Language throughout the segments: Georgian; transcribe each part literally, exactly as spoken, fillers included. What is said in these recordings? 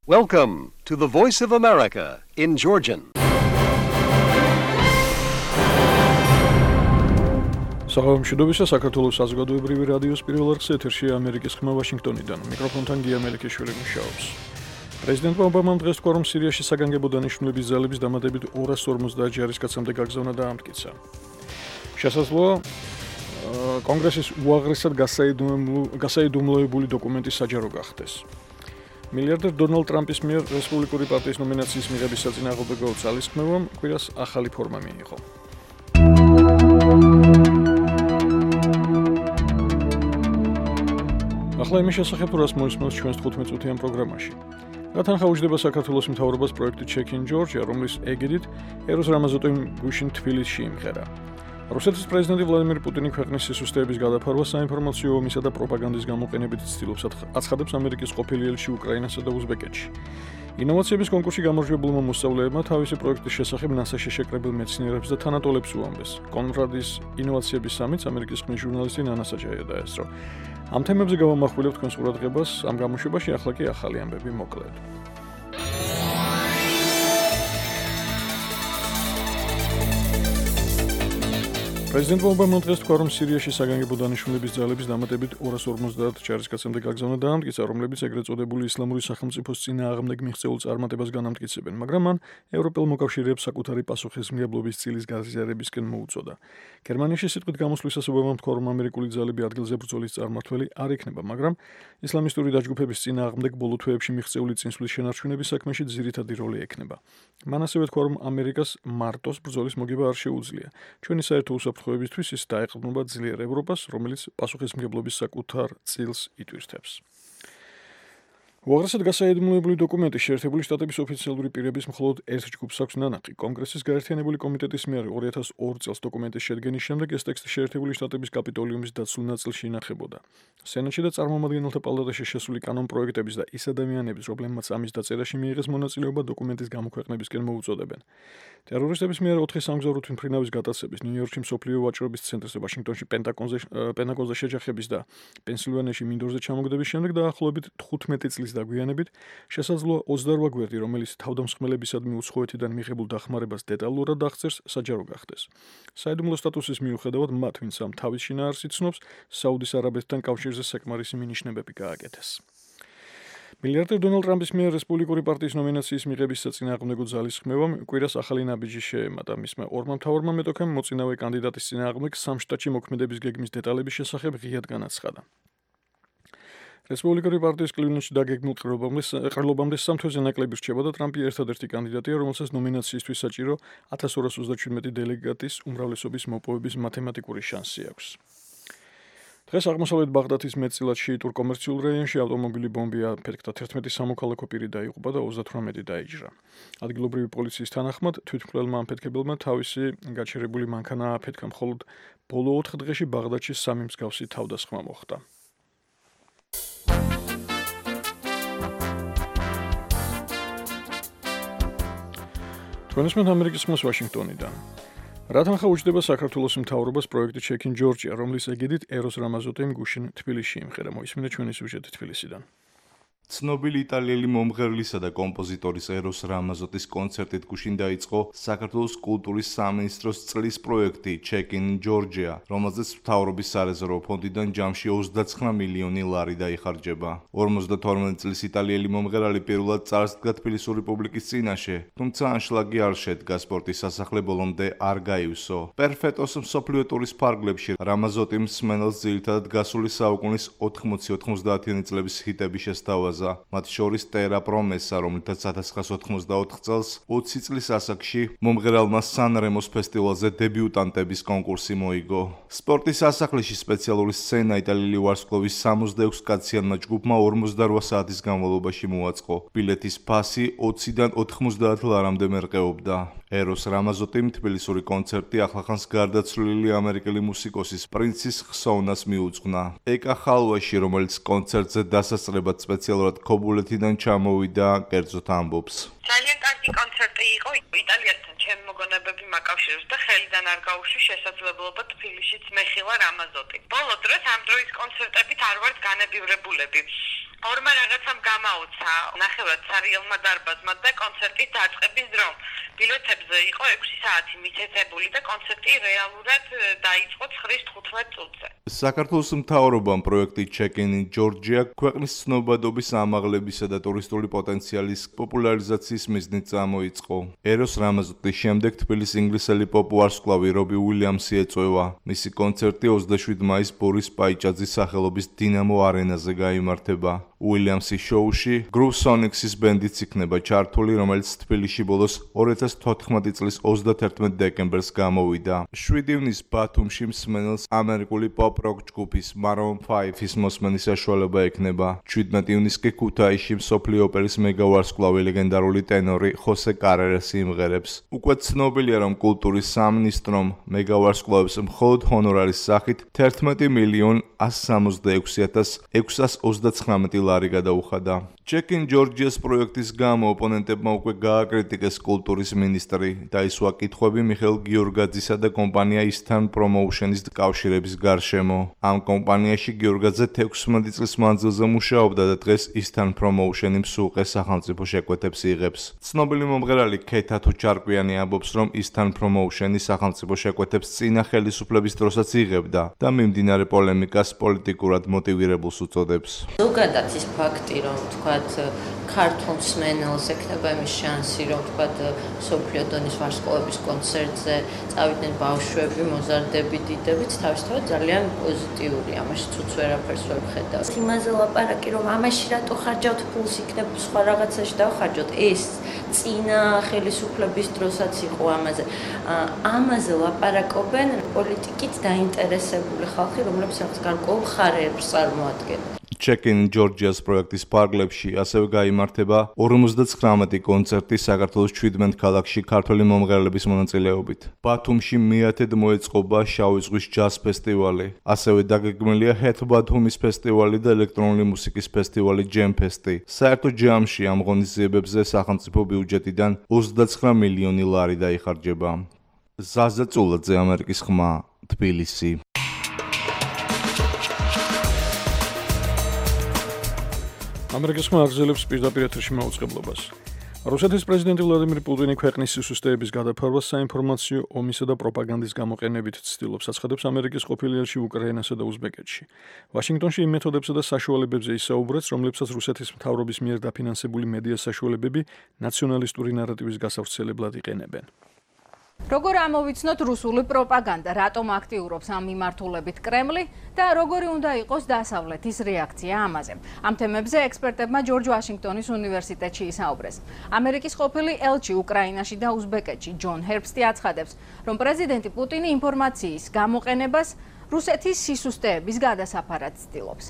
Welcome to the Voice of America in Georgian. Საღამოშიდობისა საქართველოს საზოგადოებრივი რადიოს პირველ არხზე ეთერშია ამერიკის ხმა ვაშინგტონიდან. მიკროფონთან გია მელიქიშვილი მუშაობს. პრეზიდენტმა ობამამ დღეს თქვა, რომ სირიაში საგანგებო დანიშნულების ძალების დამატებით ორას ორმოცდაათ ჯარისკაცამდე გაგზავნა და ამტკიცა. შესაძლოა კონგრესის უაღრესად გასაიდუმლოებული დოკუმენტი საჯარო გახდეს. მილიარდერ დონალდ ტრამპის მიერ რესპუბლიკური პარტიის ნომინაციის მიღების საწინააღმდეგო ძალისხმევამ კვირას ახალი ფორმა მიიღო. ახლა იმის შესახებ, რას მოისმენთ ჩვენს თხუთმეტ წუთიან პროგრამაში. რა თანხაუჯდება საქართველოს მთავრობას პროექტი Check in Georgia, რომლის ეგიდით ეროს რამაზოტიმ გუშინ თბილისში იმღერა. რუსეთის პრეზიდენტი ვლადიმერ პუტინი ქვეყნის სისუსტეების გადაფარვას საინფორმაციო ომისა და პროპაგანდის გამოყენებით ცდილობს, აცხადებს ამერიკის ყოფილი ელჩი უკრაინასა და უზბეკეთში. ინოვაციების კონკურსში გამარჯვებულმა მოსწავლეებმა თავისი პროექტის შესახებ ნასაში შეკრებილ მეცნიერებს და თანატოლებს უამბეს. კონრადის ინოვაციების სამიტს ამერიკის ხმის ჟურნალისტი ნანა საჯაია დაესწრო. ამ თემებზე გავამახვილებთ თქვენს ყურადღებას, ამ გამოშვებაში ახლა კი ახალი ამბები მოკლედ. პრეზიდენტმა ობამამ დღეს თქვა, რომ სირიაში საგანგებო დანიშნულების ძალების დამატებით ორას ორმოცდაათ ჯარისკაცამდე გაგზავნა და ამტკიცა, რომლებიც ეგრეთ წოდებული ისლამური სახელმწიფოს წინააღმდეგ მიღწეულ წარმატებას განამტკიცებენ, მაგრამ მან ევროპელ მოკავშირეებს საკუთარი პასუხისმგებლობის წილის გაზიარებისკენ მოუწოდა. გერმანიაში სიტყვით გამოსვლისას ობამამ თქვა, რომ ამერიკული ძალები ადგილზე ბრძოლის წარმმართველი არ იქნება, მაგრამ ისლამისტური დაჯგუფების წინააღმდეგ ბოლო თვეებში მიღწეული წინსვლის შენარჩუნების საქმეში ძირითადი როლი ექნება. მან ასევე თქვა, რომ ამერიკას მარტოს ბრძოლის მოგება არ შეუძლია. ჩვენი საერთო უსაფრთხოებისთვის ის დაეყრდნობა ძლიერ ევროპას, რომელიც პასუხისმგებლობის საკუთარ წილს იტვირთებს. უაღრესად გასაიდუმლოებული დოკუმენტი შეერთებული შტატების ოფიციალური პირების მხოლოდ ერთ ჯგუფს აქვს ნანახი. კონგრესის გაერთიანებული კომიტეტის მიერ ორი ათას ორი წელს დოკუმენტის შედგენის შემდეგ ეს ტექსტი შეერთებული შტატების კაპიტოლიუმის დაცულ ნაწილში ინახებოდა. სენატში და წარმომადგენელთა პალატაში შესული კანონპროექტების და ის ადამიანების, რომლებმაც ამის დაწერაში მიიღეს მონაწილეობა, დოკუმენტის გამოქვეყნებისკენ მოუწოდებენ. ტერორისტების მიერ ოთხი სამგზავრო თვითმფრინავის გატაცების, ნიუ-იორკში მსოფლიო ვაჭრობის ცენტრზე, ვაშინგტონში პენტაგონზე შეჯახების და პენსილვანიაში მინდორზე ჩამოგდების შემდეგ დაახლოებით თხუთმეტი წლის დაგვიანებით შესაძლოა ოცდაორ გვერდი, რომელიც თავდამსხმელებისადმი უცხოეთიდან მიღებულ დახმარებას დეტალურად აღწერს, საჯარო გახდეს. საიდუმლო სტატუსის მიუხედავად მათ, ვინც ამ თავის შინაარსს იცნობს, საუდის არაბეთთან კავშირზე საკმარისი მინიშნებები გააკეთეს. მილიარდერ დონალდ ტრამპის მიერ რესპუბლიკური პარტიის ნომინაციის მიღების საწინააღმდეგო ძალისხმევამ კვირას ახალი ნაბიჯი შეემატა. მისმა ორმა მთავარმა მეტოქემ მოწინავე კანდიდატის წინააღმდეგ სამ შტატში მოქმედების გეგმის დეტალების შესახებ ღიად განაცხადა. რესპუბლიკური პარტიის კლივლენდში დაგეგმილ ყრილობამდე სამ თვეზე ნაკლები რჩება და ტრამპი ერთადერთი კანდიდატია, რომელსაც ნომინაციისთვის საჭირო ათას ორას ოცდაშვიდმეტი დელეგატის უმრავლესობის მოპოვების მათემატიკური შანსი აქვს. დღეს აღმოსავლეთ ბაღდათის მეტწილად შეიტურ კომერციულ რაიონში ავტომობილი ბომბი აფეთქდა, თერთმეტი სამოქალაქო პირი დაიღუპა და ოცდათვრამეტი დაიჯრა. ადგილობრივი პოლიციის თანახმად, თვითმკვლელმა ამფეთქებელმა თავისი გაჩერებული მანქანა აფეთქა, მხოლოდ ბოლო ოთხ დღეში ბაღდათში სამი მსგავსი თავდასხმა მოხდა. თქვენისმენთ ამერიკის ხმას ვაშინგტონიდან. რა თანხაუჯდება საქართველოს მთავრობას პროექტი Check in Georgia, რომლის ეგიდით ეროს რამაზოტიმ გუშინ თბილისში იმღერა. მოისმინეთ ჩვენი სიუჟეტი თბილისიდან. ცნობილი იტალიელი მომღერლისა და კომპოზიტორის ეროს რამაზოტის კონცერტით გუშინ დაიწყო საქართველოს კულტურის სამინისტროს წლის პროექტი Check in Georgia, რომელზეც მთავრობის სარეზერვო ფონდიდან ჯამში ოცდაცხრა მილიონი ლარი დაიხარჯება. ორმოცდათორმეტ წლის იტალიელი მომღერალი პირველად წარსდგა თბილისური პუბლიკის წინაშე, თუმცა ანშლაგი არ შედგა, სპორტის სასახლე ბოლომდე არ გაივსო. პერფეტოს მსოფლიო ტურის ფარგლებში რამაზოტიმ მსმენელს ძირითადად გასული საუკუნის ოთხმოცი ოცდაათიანი წლების ჰიტები შესთავაზა. მათ შორის ტერა პრომესა, რომლითაც ათას ცხრაასა ოთხმოცდაოთხ წელს ოცი წლის ასაკში მომღერალმა სან-რემოს ფესტივალზე დებიუტანტების კონკურსი მოიგო. სპორტის სასახლეში სპეციალური სცენა იტალიელი ვარსკვლავის სამოცდაექვსი კაციანმა ჯგუფმა ორმოცდარვა საათის განმავლობაში მოაწყო. ბილეთის ფასი ოციდან ოთხმოცდაათ ლარამდე მერყეობდა. ეროს რამაზოტიმ თბილისური კონცერტი ახლახანს გარდაცვლილი ამერიკელი მუსიკოსის პრინცის ხსოვნას მიუძღვნა. ეკა ხალვაში, რომელიც კონცერტზე დასასწრებად სპეციალურად ქობულეთიდან ჩამოვიდა, კერძოდ ამბობს. ძალიან კარგი კონცერტი კონცერტი იყო იტალიასთან ჩემი მოგონებები მაკავშირებს და ხელიდან არ გაუშვი შესაძლებლობა თბილისშიც მეხილა რამაზოტი. ბოლო დროს ამ დროის კონცერტებით არ ვართ განებივრებულები. ორმა რაღაცამ გამაოცა ნახევრად სარიელმა დარბაზმა და კონცერტის დაწყების დრომ. ბილეთებზე იყო ექვსი საათი მითითებული და კონცერტი რეალურად დაიწყო ცხრის თხუთმეტ წუთზე. საქართველოს მთავრობამ პროექტი Check in Georgia ქვეყნის ცნობადობის ამაღლებისა და ტურისტული პოტენციალის პოპულარიზაციის მიზნით წამოიწყო. ეროს რამაზოტის შემდეგ თბილისის ინგლისელი პოპ ვარსკვლავი რობი უილიამსი ეწვევა. მისი კონცერტი ოცდაშვიდი მაისს ბორის პაიჭაძის სახელობის დინამო არენაზე გაიმართება. უილიამსის შოუში Groove Sonics-ის ბენდიც იქნება ჩართული, რომელიც თბილისში ბოლოს ორი ათას თოთხმეტი წლის ოცდათერთმეტ დეკემბერს გამოვიდა. შვიდი ივნის ბათუმში მსმენელს ამერიკული pop-rock ჯგუფის Maroon ფაივის მოსმენის საშუალება ექნება. შვიდმეტი ივნის კი ქუთაისში მსოფლიო ოპერის მეგავარსკვლავი ლეგენდარული ტენორი ხოსე კარერესი იმღერებს. უკვე ცნობილია, რომ კულტურის სამინისტრომ მეგავარსკვლავებს მხოლოდ ჰონორარის სახით თერთმეტი მილიონი ასი სამოცდაექვსი ათას ექვსსას ოცდაცხრამეტი ლარი გადაუხადა. Check in Georgia-ს პროექტის გამო ოპონენტებმა უკვე გააკრიტიკეს კულტურის მინისტრი და ისვა კითხვები მიხეილ გიორგაძისა და კომპანია Eastern Promotion-ის კავშირების გარშემო. ამ კომპანიაში გიორგაძე თექვსმეტი წლის მანძილზე მუშაობდა და დღეს Eastern Promotion-ი მსუყე სახელმწიფო შეკვეთებს იღებს. ცნობილი მომღერალი ქეთა თუჩარკვიანი ამბობს, რომ Eastern Promotion-ი სახელმწიფო შეკვეთებს წინა ხელისუფლების დროსაც იღებდა და მიმდინარე პოლემიკას პოლიტიკურად მოტივირებულს უწოდებს. ზოგადად ის ფაქტი, რომ თქვა ქართულ მსმენელს ექნება იმის შანსი, რომ თქვა მსოფლიო დონის ვარსკვლავების კონცერტზე წავიდნენ ბავშვები, მოზარდები, დიდებიც, თავისთავად ძალიან პოზიტიურია, ამაში ცუც ვერაფერს ვერ ვხედავ. იმაზე ლაპარაკი, რომ ამაში რატო ხარჯავთ ფულს, იქნებ სხვა რაღაცაში დავხარჯოთ, ეს წინა ხელისუფლების დროსაც იყო ამაზე. ამაზე ლაპარაკობენ პოლიტიკით დაინტერესებული ხალხი, რომლებიც რაღაც გარკვეულ მხარეებს წარმოადგენენ. Check in Georgia-ს პროექტის ფარგლებში ასევე გაიმართება ორმოცდაცხრამეტი კონცერტი საქართველოს შვიდმეტ ქალაქში ქართველი მომღერლების მონაწილეობით. ბათუმში მეათედ მოეწყობა შავი ზღვის ჯაზ ფესტივალი. ასევე დაგეგმილია Head ბათუმის ფესტივალი და ელექტრონული მუსიკის ფესტივალი Jam Fest-ი. საერთო ჯამში ამ ღონისძიებებზე სახელმწიფო ბიუჯეტიდან ოცდაცხრა მილიონი ლარი დაიხარჯება. ზაზა წულაძე, ამერიკის ხმა, თბილისი. ამერიკის ხმა აგრძელებს პირდაპირ ეთერში მაუწყებლობას. რუსეთის პრეზიდენტი ვლადიმիր პუტინი ქვეყნის სისუსტეების გადაფარვას საინფორმაციო ომისა და პროპაგანდის გამოყენებით ცდილობს, აცხადებს ამერიკის ყოფილი ელჩი უკრაინასა და უზბეკეთში. ვაშინგტონში იმ მეთოდებსა და საშუალებებზე ისაუბრებს, რომლებსაც რუსეთის მთავრობის მიერ დაფინანსებული მედია საშუალებები ნაციონალისტური ნარატივის გასავრცელებლად იყენებენ. როგორ ამოვიცნოთ რუსული პროპაგანდა, რატომ აქტიურობს ამ მიმართულებით კრემლი და როგორი უნდა იყოს დასავლეთის რეაქცია ამაზე. ამ თემებზე ექსპერტებმა ჯორჯ ვაშინგტონის უნივერსიტეტში ისაუბრეს. ამერიკის ყოფილი ელჩი უკრაინაში და უზბეკეთში ჯონ ჰერბსტი აცხადებს, რომ პრეზიდენტი პუტინი ინფორმაციის გამოყენებას რუსეთის სისუსტეების გადასაფარად ცდილობს.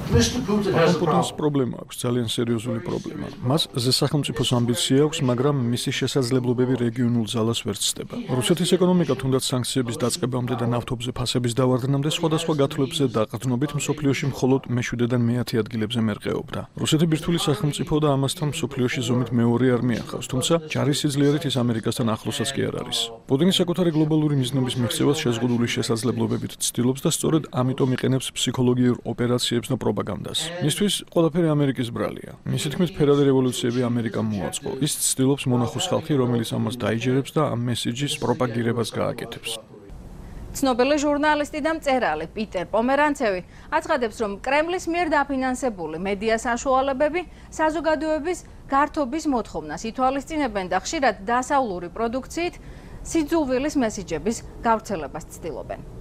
პუტინს პრობლემა აქვს, ძალიან სერიოზული პრობლემა. მას ზესახელმწიფოს ამბიცია აქვს, მაგრამ მისი შესაძლებლობები რეგიონულ ძალას ვერ ცდება. რუსეთის ეკონომიკა თუნდაც სანქციების დაწყებამდე და ნავთობზე ფასების დავარდნამდე სხვადასხვა გათვლებზე დაყრდნობით მსოფლიოში მხოლოდ მეშვიდედან მეათე ადგილებზე მერყეობდა. რუსეთი ბირთვული სახელმწიფო და ამასთან მსოფლიოში ზომით მეორე არმია ხავს, თუმცა ჯარის სიძლიერით ის ამერიკასთან ახლოსაც კი არ არის. პუტინი საკუთარი გლობალური მიზნების მიღწევას შეზღუდული შესაძლებლობებით ცდილობს და სწორედ ამიტომ იყენებს ფსიქოლოგიურ ოპერაციებს და პროპაგანდას. მისთვის ყველაფერი ამერიკის ბრალია. მისი თქმით, ფერადი რევოლუციები ამერიკამ მოაწყო. ის ცდილობს მონახოს ხალხი, რომელიც ამას დაიჯერებს და ამ მესიჯის პროპაგირებას გააკეთებს. ცნობილი ჟურნალისტი და მწერალი პიტერ პომერანცევი აცხადებს, რომ კრემლის მიერ დაფინანსებული მედია საშუალებები საზოგადოების გართობის მოთხოვნას ითვალისწინებენ და ხშირად დასავლური პროდუქციით სიძულვილის მესიჯების გავრცელებას ცდილობენ.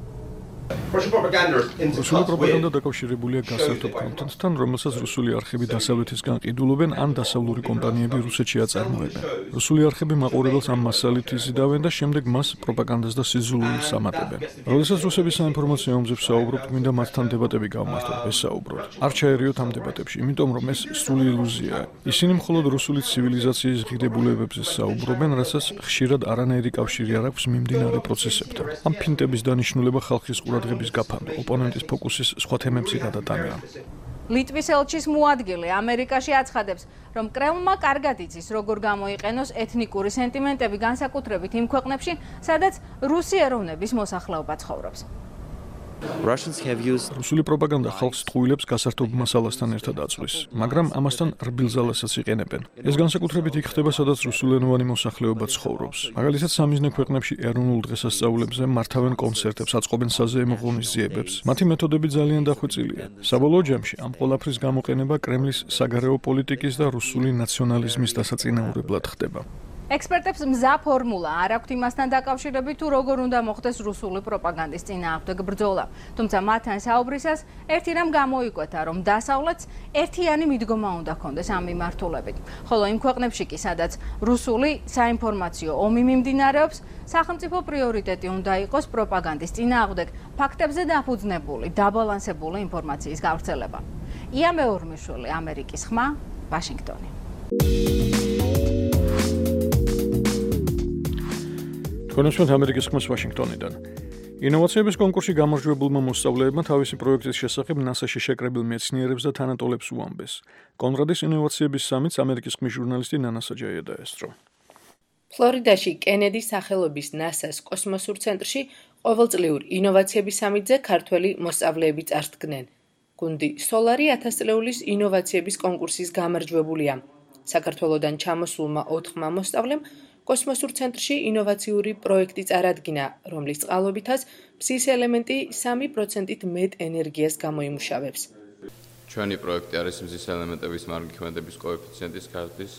რუსული პროპაგანდა დაკავშირებულია გასართობ კონტენტთან, რომელსაც რუსული არხები დასავლეთისგან ყიდულობენ, ან დასავლური კომპანიები რუსეთში აწარმოებენ. რუსული არხები მაყურებელს ამ მასალით იზიდავენ და შემდეგ მას პროპაგანდას და სიძულვილს ამატებენ. როდესაც რუსები საინფორმაციო ომზე ვსაუბრობთ, მინდა მათთან დებატები გავმართოთ, ვესაუბროთ. არ ჩაერიოთ ამ დებატებში, იმიტომ რომ ეს სრული ილუზიაა. ისინი მხოლოდ რუსული ცივილიზაციის ღირებულებებზე საუბრობენ, რასაც ხშირად არანაირი კავშირი არ აქვს მიმდინარე პროცესებთან. ამ ფინტების დანიშნულება ხალხის ყურადღების გაფანტო, ოპონენტის ფოკუსის სხვა თემებზე გადატანა. ლიტვის ელჩის მოადგილე ამერიკაში აცხადებს, რომ კრემლმა კარგად იცის, როგორ გამოიყენოს ეთნიკური სენტიმენტები განსაკუთრებით იმ ქვეყნებში, სადაც რუსი ეროვნების მოსახლეობა ცხოვრობს. რუსული პროპაგანდა ხალხს ტყუილებს გასართობ მასალასთან ერთად აწვის, მაგრამ ამასთან რბილ ზალასაც იყენებენ. ეს განსაკუთრებით იქ ხდება, სადაც რუსულენოვანი მოსახლეობა ცხოვრობს. მაგალითად, სამიზნე ქვეყნებში ეროვნულ დღესასწაულებზე მართავენ კონცერტებს, აწყობენ საზეიმო ღონისძიებებს. მათი მეთოდები ძალიან დახვეწილია. საბოლოო ჯამში ამ ყველაფრის გამოყენება კრემლის საგარეო პოლიტიკის და რუსული ნაციონალიზმის დასაწინაურებლად ხდება. ექსპერტებს მზა ფორმულა არ აქვთ იმასთან დაკავშირებით, თუ როგორ უნდა მოხდეს რუსული პროპაგანდის წინააღმდეგ ბრძოლა. თუმცა მათთან საუბრისას ერთი რამ გამოიკვეთა, რომ დასავლეთს ერთიანი მიდგომა უნდა ჰქონდეს ამ მიმართულებით. ხოლო იმ ქვეყნებში კი, სადაც რუსული საინფორმაციო ომი მიმდინარეობს, სახელმწიფო პრიორიტეტი უნდა იყოს პროპაგანდის წინააღმდეგ ფაქტებზე დაფუძნებული, დაბალანსებული ინფორმაციის გავრცელება. ია მეორმიშვილი, ამერიკის ხმა, ვაშინგტონი. კონსულტანტ ამერიკის ხმას ვაშინგტონიდან. ინოვაციების კონკურსში გამარჯვებულმა მოსწავლეებმა თავისი პროექტის შესახებ ნასაში შეკრებილ მეცნიერებს და თანატოლებს უამბეს. კონრადის ინოვაციების სამიტს ამერიკის ხმის ჟურნალისტი ნანა საჯაია დაესწრო. ფლორიდაში კენედის სახელობის ნასას კოსმოსურ ცენტრში ყოველწლიურ ინოვაციების სამიტზე ქართველი მოსწავლეები წარსდგნენ. გუნდი სოლარი ათასწლეულის ინოვაციების კონკურსის გამარჯვებულია. საქართველოდან ჩამოსულმა ოთხმა მოსწავლემ კოსმოსურ ცენტრში ინოვაციური პროექტი წარადგინა, რომლის წყალობითაც მზის ელემენტი სამი პროცენტით მეტ ენერგიას გამოიმუშავებს. ჩვენი პროექტი არის მზის ელემენტების მარგი ქმედების კოეფიციენტის გარდის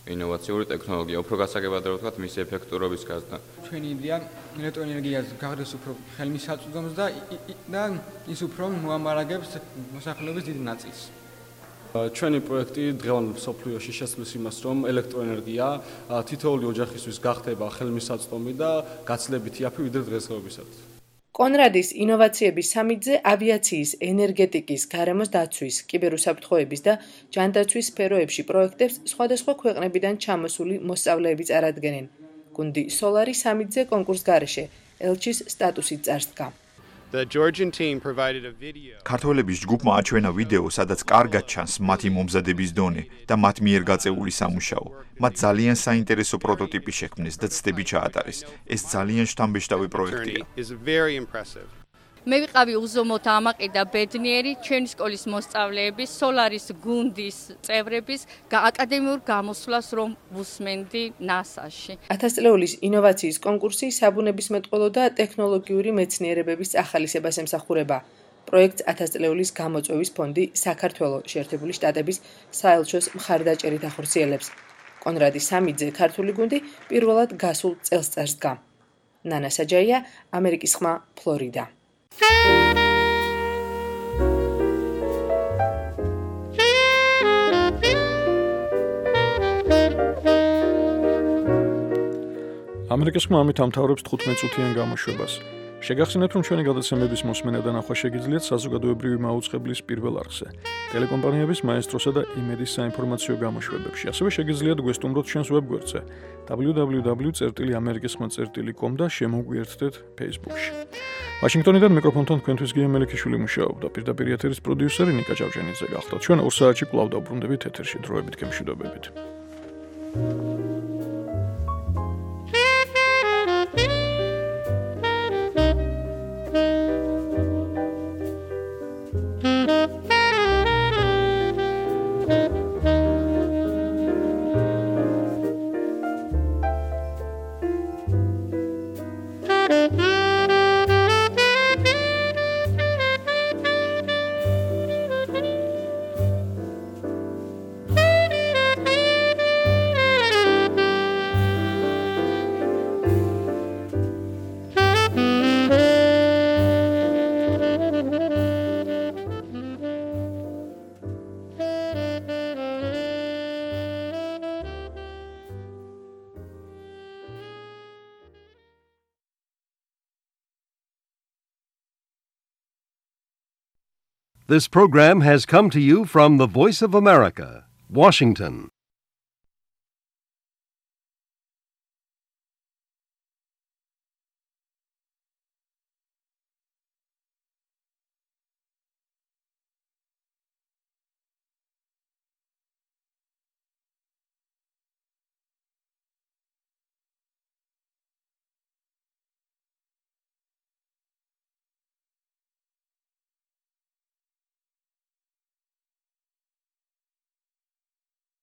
ინოვაციური ტექნოლოგია, უფრო გასაგებად რა ვთქვათ, მისი ეფექტურობის გაზრდა. ჩვენი იდეა ელექტროენერგიას გარდეს უფრო ხელმისაწვდომს და და ის უფრო მოამარაგებს მოსახლეობის დიდ ნაწილს. ჩვენი პროექტი დღევანდელ მსოფლიოში შესწვლის იმას, რომ ელექტროენერგია თითოეული ოჯახისთვის გახდება ხელმისაწვდომი და გაცლებითი აფი ვიდრე დღესდღეობისათვის. კონრადის ინოვაციების სამიტზე ავიაციის, ენერგეტიკის, გარემოს დაცვის, კიბერუსაფრთხოების და ჯანდაცვის სფეროებში პროექტებს სხვადასხვა ქვეყნებიდან ჩამოსული მოსწავლეები წარადგენენ. გუნდი სოლარი სამიტზე კონკურს გარეშე ელჩის სტატუსით წარსდგა. ქართველების ჯგუფმა აჩვენა ვიდეო, სადაც კარგად ჩანს მათი მომზადების დონე და მათ მიერ გაწეული სამუშაო. მათ ძალიან საინტერესო პროტოტიპი შექმნეს და ცდები ჩაატარეს. ეს ძალიან შთამბეჭდავი პროექტია. მე ვიყავი უზომოდ ამაყი და ბედნიერი ჩვენი სკოლის მოსწავლეების, სოლარის გუნდის წევრების აკადემიურ გამოსვლას რომ ვუსმენდი ნასაში. ათასწლეულის ინოვაციის კონკურსი საბუნებისმეტყველო და ტექნოლოგიური მეცნიერებების ახალისებას ემსახურება. პროექტს ათასწლეულის გამოწვევის ფონდი საქართველოს შეერთებული შტატების საელჩოს მხარდაჭერით ახორციელებს. კონრადის სამიტზე ქართული გუნდი პირველად გასულ წელს წარსდგა. ნანა საჯაია, ამერიკის ხმა, ფლორიდა. ამერიკის ხმა ამით ამთავრებს თხუთმეტ წუთიან გამოშვებას. შეგახსენებთ, რომ ჩვენი გადაცემების მოსმენა და ნახვა შეგიძლიათ საზოგადოებრივი მაუწყებლის პირველ არხზე, ტელეკომპანიების მაესტროსა და იმედის საინფორმაციო გამოშვებებში. ასევე შეგიძლიათ გვესტუმროთ ჩვენს ვებგვერდზე დაბლიუ დაბლიუ დაბლიუ წერტილი ამერიკის ხმა წერტილი კომ და შემოგვიერთდეთ Facebook-ში. ვაშინგტონიდან მიკროფონთან თქვენთვის გია მელიქიშვილი მუშაობდა. პირდაპირ ეთერის პროდიუსერი ნიკა ჭავჭენიძე გახდა. ჩვენ ორ საათში კვლავ დავბრუნდებით ეთერში. დროებით გემშვიდობებით. This program has come to you from the Voice of America, Washington.